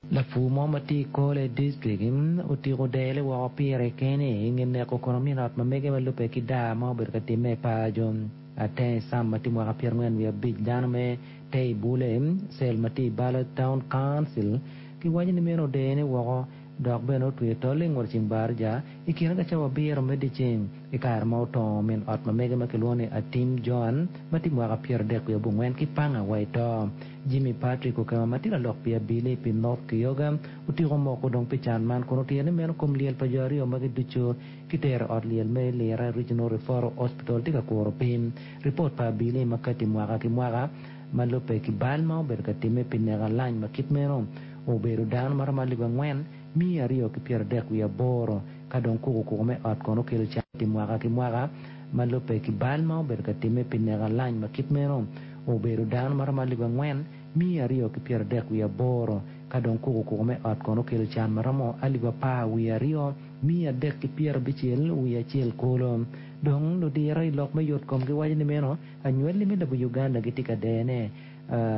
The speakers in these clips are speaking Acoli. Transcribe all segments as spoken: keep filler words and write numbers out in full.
Lapur mo ma tye i Kole District otiko dele woko pire kene i nge neko kono min ot ma mege ma lubbe ki daa ma obedo ka timme i paco. Ateng Sam ma tye mwaka pyerangwen wiye abic dano me Teibule cell ma tye i Bala Town Council kiwaco ni meno odene woko dok bene otweyo tol i ngut ceng barja i kine ka cawa abiro me dyeceng i kare ma otongo min ot ma mege ma kilwongo ni Atim Joan ma tye mwaka pyeradek wiye abongwen ki panga wa i to. Jimmy Patrick Okema ma tye lalok pi abili pi North Kyoga otiko moko dong pi can man kun otiro ni meno kom lyel pa jo aryo magi ducu kitero i ot lyel me Lira Regional Referral Hospital tye ka kuro pim. Ripot pa abili ma kati mwaka ki mwaka ma lubbe ki bal ma obedo ka timme pi neko alany ma kit meno obedo dano ma romo alip angwen miya aryo ki pyeradek wiye aboro ka dong kukukuku me ot kono okelo can mwaka ki mwaka ma lubbe ki bal ma obedo ka timme pi neko alany ma kit meno obedo dano ma romo alip angwen miya aryo ki pyeradek wiye aboro ka dong kukukuku me ot kono okelo can ma romo alip apar wiye aryo miya adek ki pyerabicel wiye acel kulu dong ludiro i lok me yot kom giwaco ni meno anywali me lobo Uganda gitye ka dene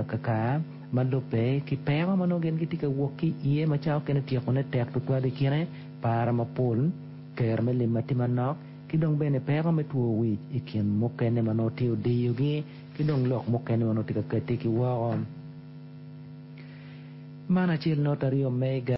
kakar ma lubbe ki peko ma nongo gin gitye ka wok ki iye ma cawa okene tyekone tek tutwal i kine para mapol kero me lim ma tye manok ki dong bene peko me two wic i kin mukene ma nongo tye odiyogi ki dong lok mukene ma nongo tye ka kati ki woko. Man acel not aryo mega